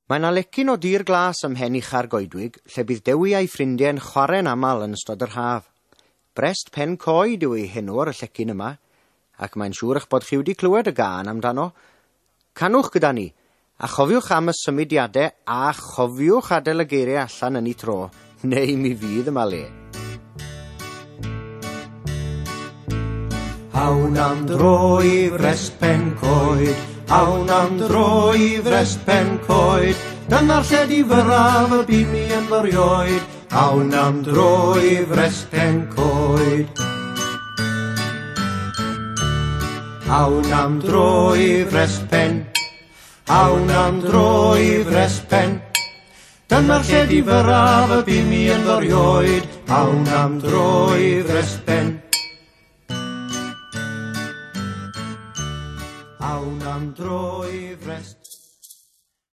Mae 'na lecyn o dir glas ym mhen ucha'r goedwig lle bydd Dewi a'i ffrindiau'n chwarae'n aml yn ystod yr haf. Brest Pen Coed yw ei henw ar y llecyn yma, ac mae'n siŵr eich bod chi wedi clywed y gân amdano. Canwch gyda ni, a chofiwch am y symudiadau a chofiwch adael y geiriau allan yn eu tro, neu mi fydd yma le. Awn am dro i Frest Pen Coed, awn am dro i Frest Pen Coed, dyna'r lle difyrraf y bu mi ynddo 'rioed, awn am dro i Frest Pen Coed. Awn am dro i Frest Pen, awn am dro i Frest Pen, dyna'r lle difyrraf y bu mi ynddo 'rioed, awn am dro i Frest Pen. Awn am dro i Frest.